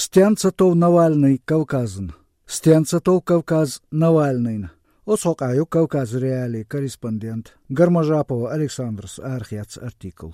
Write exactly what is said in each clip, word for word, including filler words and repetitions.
«Стенца тов Навальный Кавказан? Стенца тов Кавказ Навальныйна?» Оцу хьокъехь ю Кавказ.Реалии корреспондент Гармажапова Александрас арахецна артикл.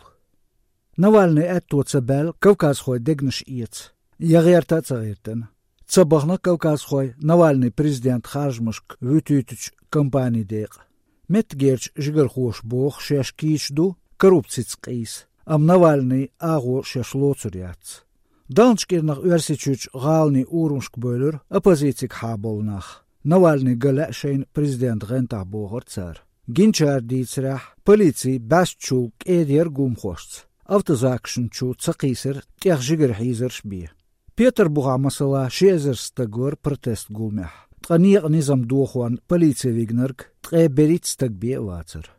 Навальный аьтто ца баьлла, кавказхой дегнаш эца, я гӀерта а ца гӀертина. Ца бахана кавказхой Навальный президент харжамашка вуьтуьйтучу кампани декъа. Меттигерчу жигархоша боху, шаьш кийча ду коррупцица къийса, амма Навальный агӀо шаьш лоцур яц. Далначу кӀирнах Оьрсийчуьрчу гӀаланийн урамашка бевлира оппозицига хьаболу нах. Навальный ган лаьа шайна президент гӀантахь, бохура цара. Гиначара дийцарехь, полици баьстачул кӀеда яра гуламхошца, автозакашна чу ца кхийсира, тӀех жигара хьийзарш бен. Петарбухахь, масала, ши эзар стаг вара протест гуламехь, ткъа некъан низам дохорна полице вигнарг ткъе берхӀитта стаг бен а вацара.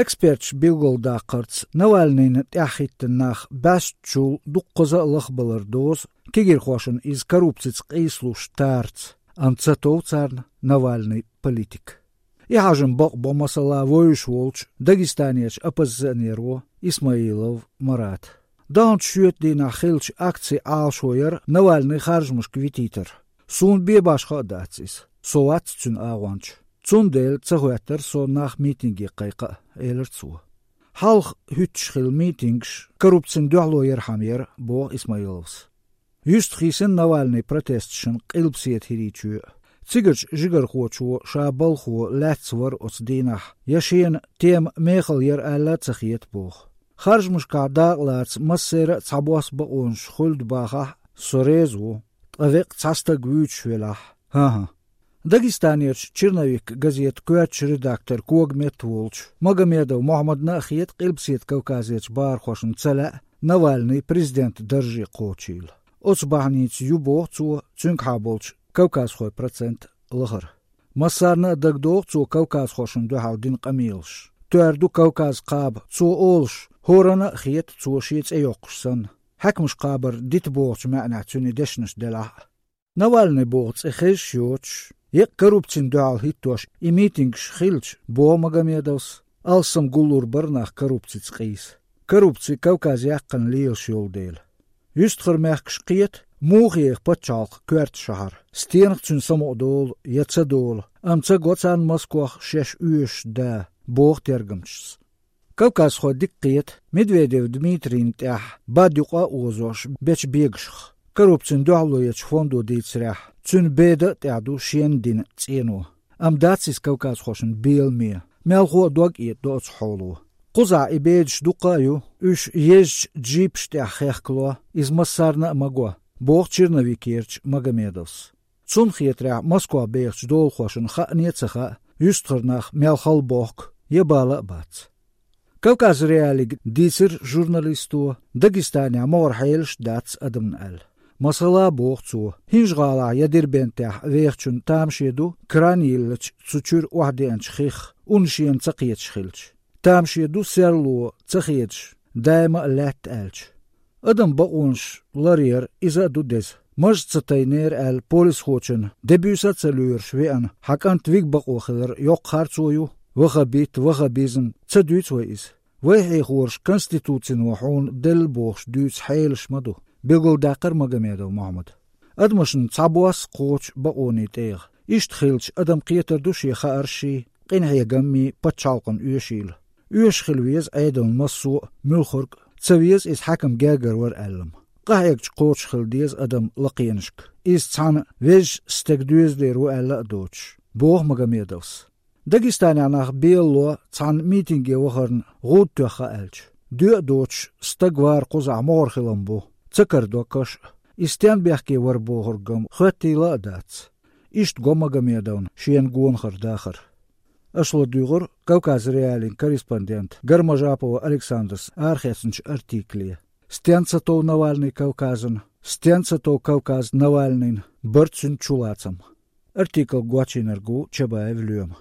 Эксперташа билгалдаккхарца, Навальныйна тӀаьхьахӀиттина нах баьстачул дуккхаза а лахбалар дозу кегийрхошна иза коррупцица къийсалуш тарца, амма ца тов царна Навальный политик. И хьежам бакъбо, масала, вевзаш волчу Дагестанерчу оппозиционеро Исмаилов Марата. Далначу шоьтан дийнахь хиллачу акцин Ӏалашо яра Навальный харжамашка витийтар. Суна бен башха а дац иза. Со вац цуьнан агӀонча. Цундела ца хӀоьттира со нах митинге кхайкха а, элира цо. Хьалха хӀуьттуш хилла митингаш коррупцина дуьхьало ярхьама яра, боху Исмаиловс. Юьстахийсина Навальный протесташна Къилбаседа ХӀирийчоь а. Цигарчу жигархочо ша балхо лаьцна вара оцу дийнахь, я шена тема мехала яра аьлла а ца хета, боху. Харжамашкахь дакъалаца массеран а цхьабосса бакъонаш хуьлда бахахь, со реза ву, ткъа веккъа цхьа стаг вуьйцуш велахь, хӀан-хӀа. Дагестанерчу «Черновик» газетан коьртачу редакторан когаметта волчу Магомедов Мохьмадна а хета Къилбаседа Кавказерчу бахархошна ца лаьа Навальный президентан дарже кхочийла. Оцу бахьаница ю, боху цо, цуьнгахьа болчу кавказхойн процент лахара. Массарна а дагадогӀу цо кавказхошна дуьхьал дина къамелаш. Тоьар ду Кавказ кхаба, цо олуш, хӀоранна а хета цо шен цӀе йоккхуш санна. Хьаькамаш кхабар дита бохучу маьӀнехь цуьнан и дешнаш делахь а. Навальный боху цӀе хезаш а йоцуш, еккъа коррупцина дуьхьал хӀиттош и митингаш хилча, боху Магомедовс, алссам гуллур бара нах коррупцица къийса. Коррупци Кавказан яккхина лелаш йолу дела. Юьстахара мехкаш кхета, муха еха пачхьалкх коьрта шахьар, стенах цуьнан самукъадолу я ца долу, амма ца го царна Москох шаьш оьшуш да, боху тергамчаша. Кавказхой дика кхета Медведев Дмитрийна тӀехь бад юкъа а озош бечу бегашах. Коррупцина дуьхьало ечу фондо дийцарехь, цуьнан беда а тӀехь ду шена дина цӀено. Амма дац иза кавказхошна беламе, мелхо а дог а этӀадо оцу хьоло. Кхузахь и бедаш дуккха а ю, уьш езачу джипаш тӀехь хехкало, иза массарна а ма го, боху «Черновикерчу» Магомедовс. Цунна хетарехь, Москох бехачу долахошна хаъне а ца хаьа, юьстахара нах мел хала бохку я бала а бац. «Кавказ.Реалига» дийцира журналисто, Дагестанехь могӀара хьелаш а дац адамна аьлла. Масала, боху цо, ХӀинжа-ГӀалахь я Дербентехь вехачунна тамаше ду кран йиллачу цу чуьра охьадеанчу хих, ун шена ца кхеташ хилча. Тамаше ду серло ца хедаш, даима а лаьтта аьлча. Адаман бакъонаш ларъяр, иза а ду деза. Мажа ца тайнера аьлла, полисхочунна де-буьйса а ца лоьруш веана, хьан кӀант вига бакъо хилар йоккха харцо ю, ваххабит, ваххабизм, ца дуьйцу вай иза? Вай хьехораш конституцино хьуна делла бохуш дуьйцу хьелаш ма ду, билгалдаьккхира Магомедов Мохьмада. Адамашна цхьабосса кхочу бакъонийн тӀегӀа. Иштта хилча, адам кхетар ду шен хааршший, къинхьегаммий, пачхьалкхана оьшийла. Оьшуш хила веза Ӏедална массо а, муьлххарг а, ца веза иза хьаькам гергара вара аьлла-м. Къахьегча кхочуш хила деза адам лакхенашка, иза цхьана везачу стеган доьзалера ву аьлла а доцуш, боху Магомедовс. Дагестанехь нах белало цхьана митинге вахарна гӀуда тоьхна аьлча, доь а доцуш, стаг вар кхузахь могӀара хилам бу, ца карадо каш а. И стенна бехке вара бохург-м хоьттийла а дац. Иштта го Магомедовна шена гонахара дахар. Аша ладуьйгӀура «Кавказ.Реалиин» корреспондента Гармажапова Александрас арахецначу артикле. Стенца тов Навальный Кавказан, стенца тов Кавказ Навальныйн, бара цуьнан чулацам. Артикл гочйинарг ву Чабаев Лоьма.